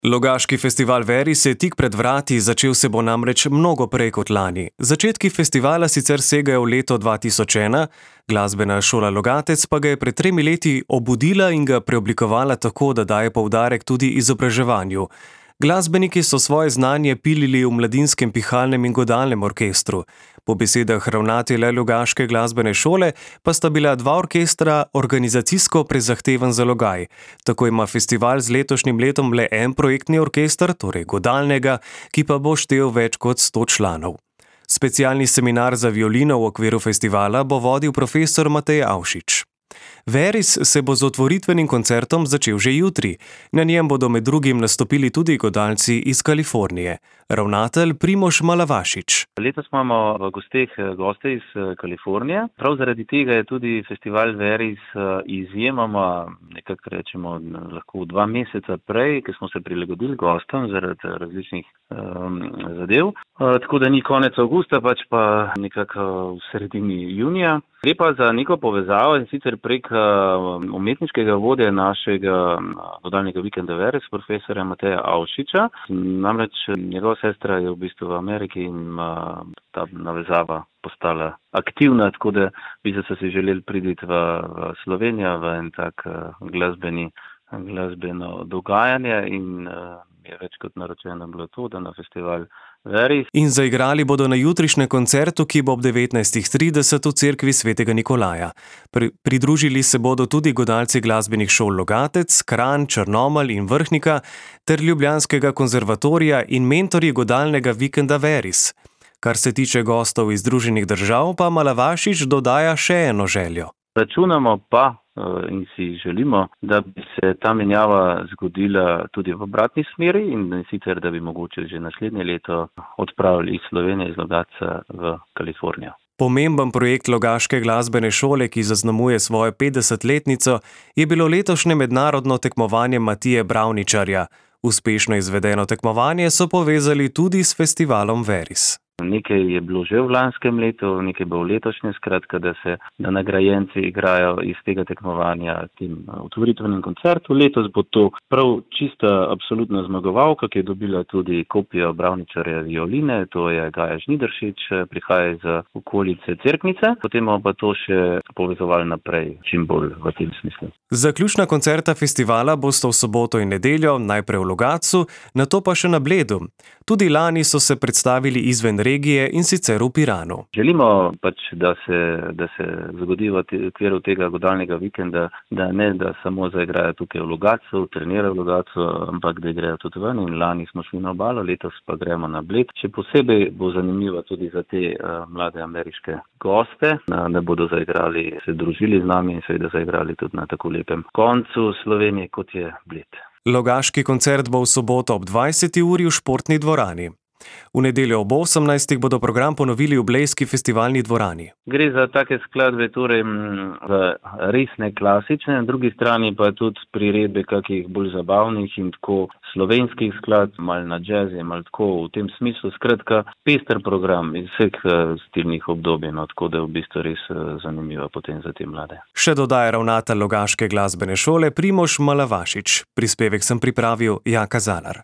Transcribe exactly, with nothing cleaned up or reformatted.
Logaški festival Veris je tik pred vrati, začel se bo namreč mnogo prej kot lani. Začetki festivala sicer segajo v leto dva tisoč ena, glasbena šola Logatec pa ga je pred tremi leti obudila in ga preoblikovala tako, da daje poudarek tudi izobraževanju. Glasbeniki so svoje znanje pilili v mladinskem pihalnem in godalnem orkestru. Po besedah ravnatelja Logaške glasbene šole pa sta bila dva orkestra organizacijsko prezahteven zalogaj. Tako ima festival z letošnjim letom le en projektni orkester, torej godalnega, ki pa bo štel več kot sto članov. Specialni seminar za violino v okviru festivala bo vodil profesor Matej Avšič. Veris se bo z otvoritvenim koncertom začel že jutri. Na njem bodo med drugim nastopili tudi godalci iz Kalifornije. Ravnatelj Primož Malavašič. Letos imamo v gosteh goste iz Kalifornije. Prav zaradi tega je tudi festival Veris izjemoma, nekako rečemo, lahko dva meseca prej, ker smo se prilagodili gostom zaradi različnih um, zadev. Uh, tako da ni konec avgusta, pač pa nekako v sredini junija. Gre pa za neko povezavo in sicer prek umetniškega vodja našega godalnega vikenda Veris, profesorja Mateja Avšiča. Namreč njegova sestra je v bistvu v Ameriki in ta navezava postala aktivna, tako da bi se si želeli priti v, v Slovenijo v en tak glasbeni, glasbeno dogajanje in je več kot naročeno bilo to, da na festival Veris. In zaigrali bodo na jutrišnjem koncertu, ki bo ob devetnajstih trideset v cerkvi svetega Nikolaja. Pri, pridružili se bodo tudi godalci glasbenih šol Logatec, Kranj, Črnomelj in Vrhnika ter Ljubljanskega konzervatorija in mentorji godalnega vikenda Veris. Kar se tiče gostov iz Združenih držav, pa Malavašič dodaja še eno željo. Računamo pa in si želimo, da bi se ta menjava zgodila tudi v obratni smeri in sicer, da bi mogoče že naslednje leto odpravili iz Slovenije, iz Logatca v Kalifornijo. Pomemben projekt Logaške glasbene šole, ki zaznamuje svojo petdesetletnico, je bilo letošnje mednarodno tekmovanje Matije Bravničarja. Uspešno izvedeno tekmovanje so povezali tudi s festivalom Veris. Nekaj je bilo že v lanskem letu, nekaj bo v letošnjem, skratka, da se da nagrajenci igrajo iz tega tekmovanja tem otvoritvenem koncertu. Letos bo to prav čista absolutna zmagovalka, ki je dobila tudi kopijo Bravničarjeve violine, to je Gaja Žnidaršič, prihaja iz okolice Cerknice, potem bomo pa to še povezovali naprej, čim bolj v tem smislu. Zaključna koncerta festivala bosta v soboto in nedeljo, najprej v Logatcu, nato pa še na Bledu. Tudi lani so se predstavili izven regije in sicer v Piranu. Želimo pač, da se, da se zgodi v okviru tega godalnega vikenda, da ne, da samo zaigrajo tukaj v Logatcu, trenirajo v Logatcu, ampak da grejo tudi ven in lani smo šli na obalo, letos pa gremo na Bled. Še posebej bo zanimivo tudi za te uh, mlade ameriške goste, da, da bodo zaigrali, se družili z nami in seveda zaigrali tudi na tako lepem koncu Slovenije, kot je Bled. Logaški koncert bo v soboto ob dvajseti uri v športni dvorani. V nedeljo ob osemnajstih bodo program ponovili v Blejski festivalni dvorani. Gre za take skladbe, torej resne, klasične, na drugi strani pa tudi priredbe kakih bolj zabavnih in tako slovenskih skladb, malo na džez, malo tako v tem smislu. Skratka, pester program iz vseh stilnih obdobij, no, tako da je v bistvu res zanimivo potem za te mlade. Še dodaja ravnatelj Logaške glasbene šole Primož Malavašič. Prispevek sem pripravil Jaka Zalar.